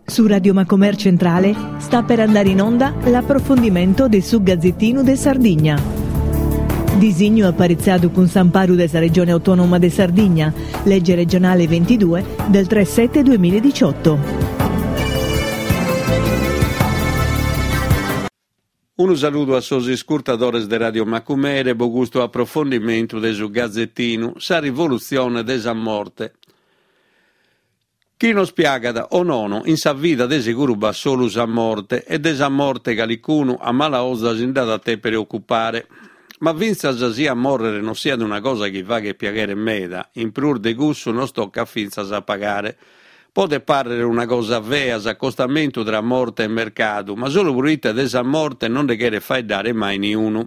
Su Radio Macomer Centrale sta per andare in onda l'approfondimento de su Gazzettinu de Sardigna. Disignu aparitzadu cun s'amparu de sa Regione Autonoma de Sardigna, legge regionale 22 del 3 7 2018. Unu saludu a sos iscurtadores de Radio Macumere pro custu aprofondimentu de su Gazetinu, sa rivolutzione de sa morte. Chi nos piagat o nono, in sa vida de seguru b'at solu sa morte e de sa morte calicunu a mala 'oza si nd'at a tèpere ocupare. Ma fintzas si a mòrrere non siat una cosa chi faghet piaghere meda, in prus de cussu nos tocat fintzas a pagare. Podet pàrrere una cosa fea s'acostamentu tra morte e mercadu, ma solu proite de sa morte non nde cheret faeddare mai niunu.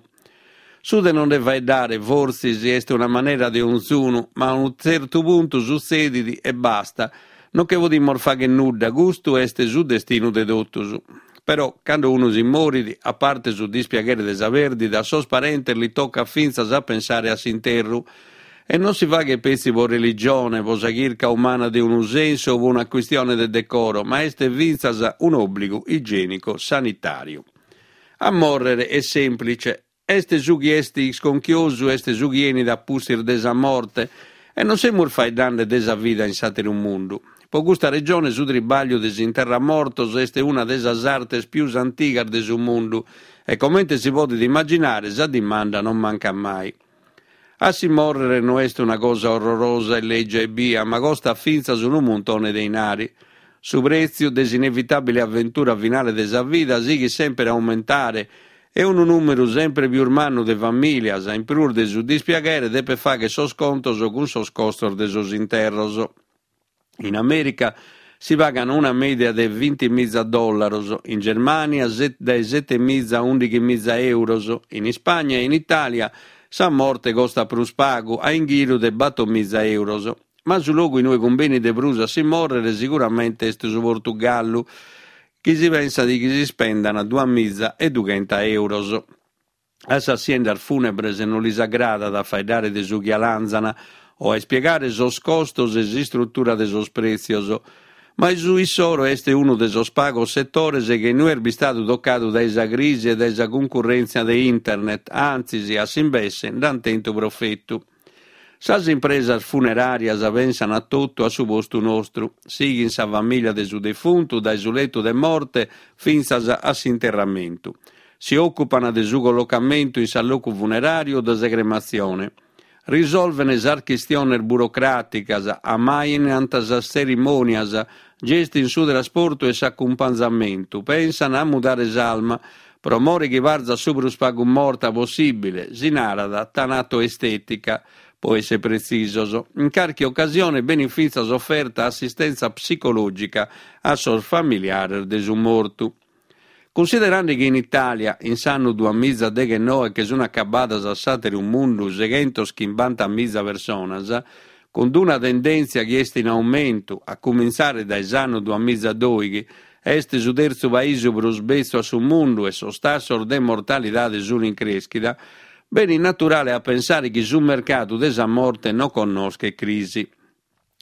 Su de non nde faeddare, fortzis, est una manera de onzunu, ma a unu tzertu puntu sutzedit e basta, non che podimus fagher nudda, custu est su destinu de totus. Però, cando unu si morit, a parte su dispiaghere de sa pèrdida, a sos parentes li tocat fintzas a pensare a s'interru. E non si faghet petzi pro religione, pro sa chirca umana de unu sensu o pro una quistione de decoro, ma est fintzas un'òbligu igiènico-sanitàriu. A mòrrere est sèmplitze. Est su chi est isconchiosu est su chi 'enit a pustis de sa morte e non semus faeddande de sa vida in s'àteru mundu. Pro custa regione su tribàgliu de s'interramortos est una de sas artes pius antigas de su mundu e comente si podet immaginare sa dimanda non mancat mai. A si mòrrere no est una cosa orrorosa e lègia ebbia, ma costat fintzas unu muntone de inari. Su prètziu de s'inevitàbile aventura finale de sa vida sighit semper a aumentare e unu nùmeru semper pius mannu de famìlias, in prus de su dispiaghere, depet fàghere sos contos cun sos costos de sos interros. In Amèrica si pagan una mèdia de vintimiza dòllaros, in Germània dae setemiza a ùndighimiza èuros, in Ispagna e in Itàlia sa morte costat prus pagu, a inghiru de batomiza èuros. Ma su logu in ue cumbenit de prus a si mòrrere siguramente est su Portugallu, chi si pensat chi s'ispendan duamiza e dughenta èuros. A sas siendas fùnebres non lis agradat a faeddare de su chi 'alanzan o a ispiegare sos costos e s'istrutura de sos prètzios. Ma su issoro est unu de sos pagos setores chi no est bistadu tocadu dae sa crisi e dae sa cuncurrèntzia de internet, antzis, a s'imbesse, nd'ant tentu profetu. Sas impresas funeràrias pensan a totu a su postu nostru, sighin sa famìlia de su defuntu dae su letu de morte fintzas a s'interramentu. Si òcupan de su collocamentu in s'allocu funeràriu o de sa crematzione. Risolven sas chistiones burocràticas, ammainant sas tzerimònias, gestin su trasportu e s'acumpanzamentu, pensan a mudare s'alma, Pro more chi parzat su prus pagu morta possìbile, si narat tanatoestètica, pro èssere pretzisos. In carchi ocasione benit fintzas oferta assistèntzia psicològica a sos familiares de su mortu. Cunsiderande chi in Itàlia, in s'annu duamiza deghennoe che sunt acabadas a s'àteru mundu seghentos chimbantamiza personas, cun d'una tendèntzia chi est in aumentu a cumintzare dae s'annu duamiza dòighi, Est su tertzu paisu prus betzu a su mundu e sos tassos de mortalidade sun in crèschida, benit naturale a pensare chi su mercadu de sa morte non connoschet crisi.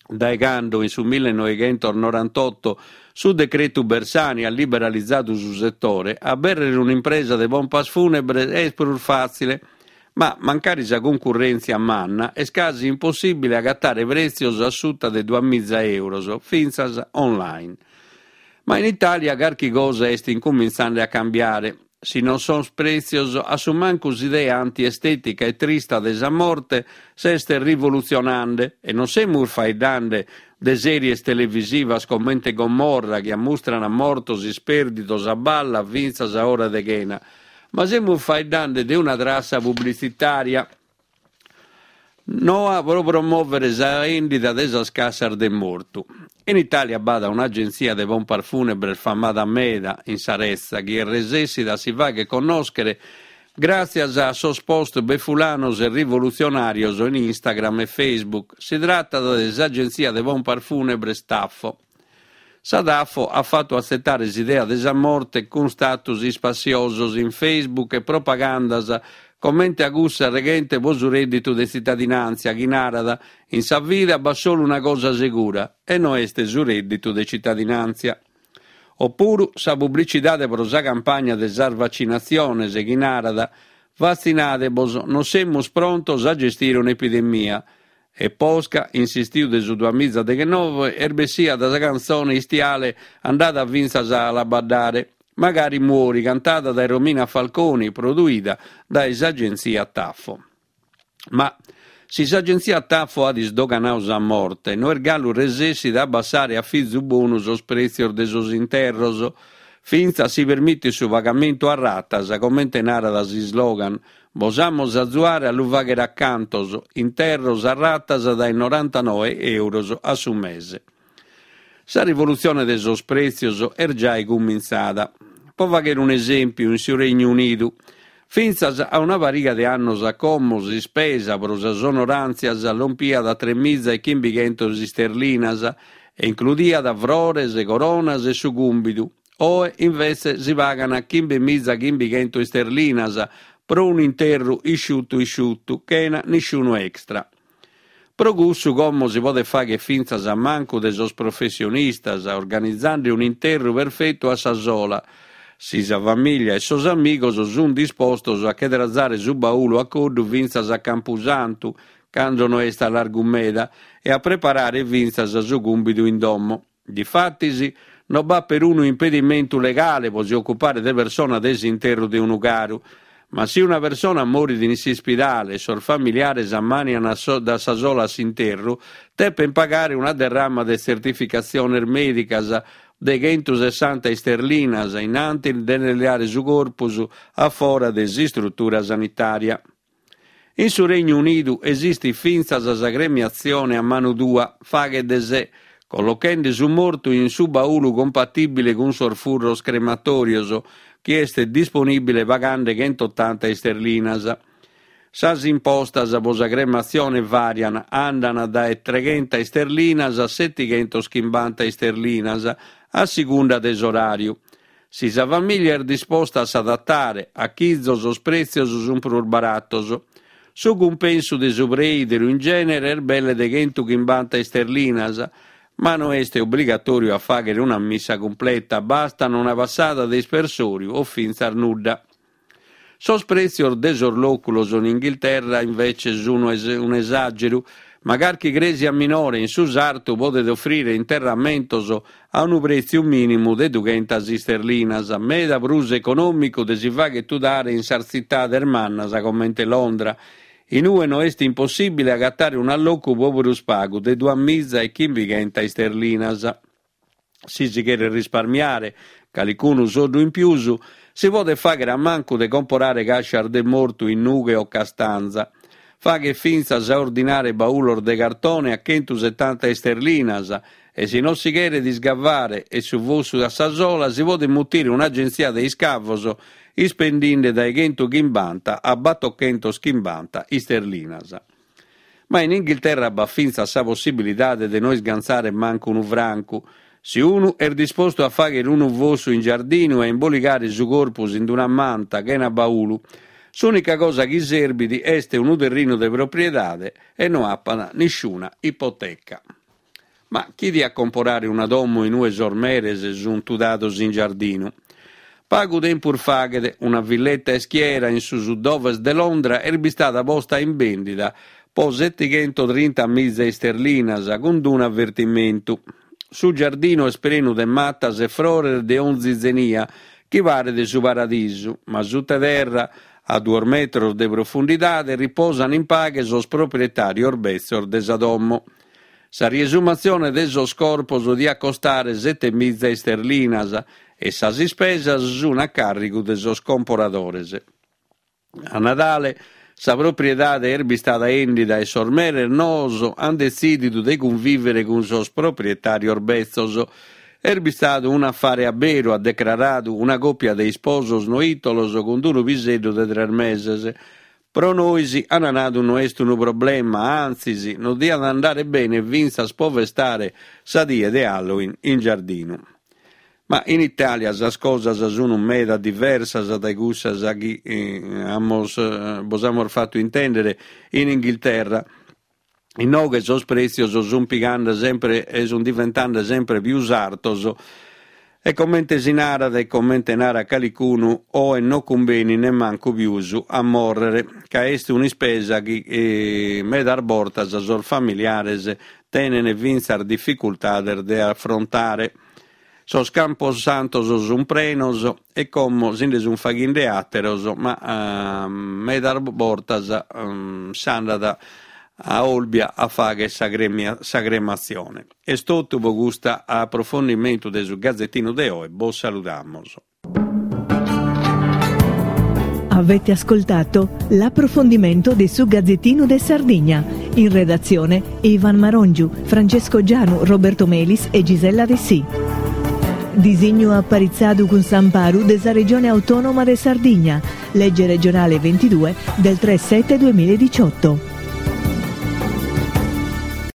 Dae cando, in su millenoighentos-norantotto, su decretu Bersani at liberalizadu su setore, abèrrere un'impresa de pompas fùnebres est prus fàtzile, ma, mancari sa cuncurrèntzia manna, est casi impossìbile agatare prètzios a suta de duamiza èuros, fintzas online. Ma in Itàlia carchi cosa est incumintzande a cambiare. Si non sos prètzios, a su mancu s'idea antiestètica e trista de sa morte s'est rivolutzionande e non semus faeddande de sèries televisivas comente Gomorra chi ammustran mortos ispèrdidos a balla fintzas a ora de chena, ma semus faeddande de una trassa publitzitària noa pro promòvere sa èndida de sas cassas de mortu. In Itàlia b'at un'agentzia de pompas fùnebres famada meda in sa retza chi est resèssida a si fàghere connòschere gràtzias a sos post befulanos e rivolutzionàrios in Instagram e Facebook. Si tratat de s'agentzia de pompas fùnebres Taffo. Sa Taffo at fatu atzetare s'idea de sa morte cun status ispassiosos in Facebook e propagandas comente a cussa reghente pro su rèdditu de tzitadinàntzia chi narat in sa vida b'at solu una cosa segura e no est su rèdditu de citadinàntzia. Opuru sa publicidade pro sa campagna de sas vacinatziones chi narat Vatzinade-bos, non semus prontos a gestire un'epidemia. E posca, in s'istiu de su duamizadeghenove, est bessida sa cantzone istiale andada fintzas a la baddare, Magari muori, cantada dae Romina Falconi, produida dae s'agentzia Taffo. Ma si s'agentzia Taffo at isdoganadu sa morte, no est galu resessida a abbassare a fizu bonu sos prètzios de sos interros, fintzas si permitit su pagamentu a ratas, comente narat s'islogan, Bos amus a azuare a lu fàghere a cantos, interros a ratas dae norantanoe euros a su mese. Sa rivolutzione de sos prètzios est giai cumintzada. Pro fàghere un'esèmpiu, in su Regnu Unidu, fintzas a una pariga de annos a como s'ispesa pro sas onoràntzias lompiat a tremiza e chimbighentos isterlinas e includiat frores, coronas e su cumbidu. Oe, invetze, si pagant chimbemiza chimbighentos isterlinas pro un'interru isciutu isciutu, chena nisciunu extra. Pro cussu como si podet fàghere fintzas a mancu de sos professionistas, organizende un'interru perfetu a sa sola, si sa famìllia e sos amigos sunt dispostos a che trazare su baulu a coddu fintzas a Campusantu, cando no est a largu meda, e a preparare fintzas su cumbidu in domo. Difatis, no b'at perunu impedimentu legale pro si ocupare de persona de s'interru de unu caru. Ma si una persona morit in s'ispidale e sos familiares ammànian a sa sola s'interru, depent pagare una derrama de tzertificatziones mèdicas de chentusessanta isterlinas in antis de nde leare su corpus a fora de s'istrutura sanitària. In su Regnu Unidu esistit fintzas sa cremiatzione a manu tua, faghe de se, collochende su mortu in su baulu compatìbile cun sos furros crematòrios, chi est disponìbile pagande chentotanta isterlinas. Sas impostas pro sa crematzione vàrian, andan dae treghenta isterlinas a setighentos-chimbanta isterlinas, a sigunda de s'oràriu. Si sa famìllia est disposta a s'adatare, a chizo sos prètzios sunt prus baratos. Su cumpensu de su preìderu in gènere est belle de chentuchimbanta isterlinas, ma no est obligatòriu a fàghere una missa cumpleta, bastat una passada de ispersòriu o fintzas nudda. Sos prètzios de sos lòculos in Inghilterra invece sunt un'esàgeru, ma carchi crèsia minore in su sartu podet ofrire interramentos a unu prètziu mìnimu de dughentas isterlinas, meda prus econòmicu de si fagher tudare in sas tzitades mannas comente Londra, in ue no est impossìbile agatare un'allocu pro prus pagu de duamiza e chimbighenta isterlinas. Si si cheret risparmiare calicunu soddu in pius, si podet fàghere a mancu de comporare càscias de mortu in nughe o castanza. Faghet fintzas a ordinare baulos de cartone a chentusetanta isterlinas e si non si cheret isgavare e su fossu a sa sola si podet mutire un'agentzia de iscavos ispendinde dae chentuchimbanta a batochentochimbanta isterlinas. Ma in Inghilterra b'at fintzas sa possibilidade de no isgantzare mancu unu francu. Si unu est dispostu a fàghere unu fossu in giardinu e a imboligare su corpus in una manta chena baulu, s'ùnica cosa chi serbit est unu terrinu de propriedade e no apat nisciuna ipoteca. Ma chi diat comporare una domo in ue sos meres sunt tudados in giardinu? Pagu tempus faghet, una villetta ischiera in su sud-ovest de Londra est bistada posta in bèndida po setighentotrinta-miza isterlinas, cun d'unu avertimentu. Su giardinu est prenu de matas e frores de onzi zenia, chi paret su paradisu, ma sutta terra, a duos metros de profundidade, riposan in paghe sos proprietàrios betzos de sa domo. Sa riesumatzione de sos corpos diat costare setemiza isterlinas e sas ispesas sun a càrrigu de sos comporadores. A Nadale sa propriedade est bistada 'èndida e sos meres noos an detzìdidu de cunvìvere cun sos proprietàrios betzos. Est bistadu un'afare a beru, at decraradu una còpia de isposos noitolos cun unu piseddu de tres meses. Pro nois, an nadu, no est unu problema, antzis, nos diat andare bene fintzas pro festare sa die de Halloween in giardinu. Ma in Itàlia sas cosas sun meda diversas dae cussas chi amus bos amus fatu intèndere in Inghilterra. Inoghe sos prètzios sunt pigande sempre e sunt diventande sempre pius artos. E comente si narat e comente narat calicunu, oe no cumbenit nemmancu pius a mòrrere, ca est un'ispesa chi medas bortas sos familiares tenen fintzas dificultades de afrontare. Sos camposantos sunt prenos e como si nde sunt faghende àteros, ma medas bortas s'andat a Olbia a fagher sa sa crematzione. Est totu pro custu aprofondimentu de su Gazetinu de oe, bos saludamos. Avete ascoltato l'approfondimento de su Gazzettino de Sardigna. In redazione Ivan Marongiu, Francesco Gianu, Roberto Melis e Gisella Dessì. Disignu aparitzadu cun s'amparu de sa Regione Autonoma de Sardigna, legge regionale 22 del 3 7 2018.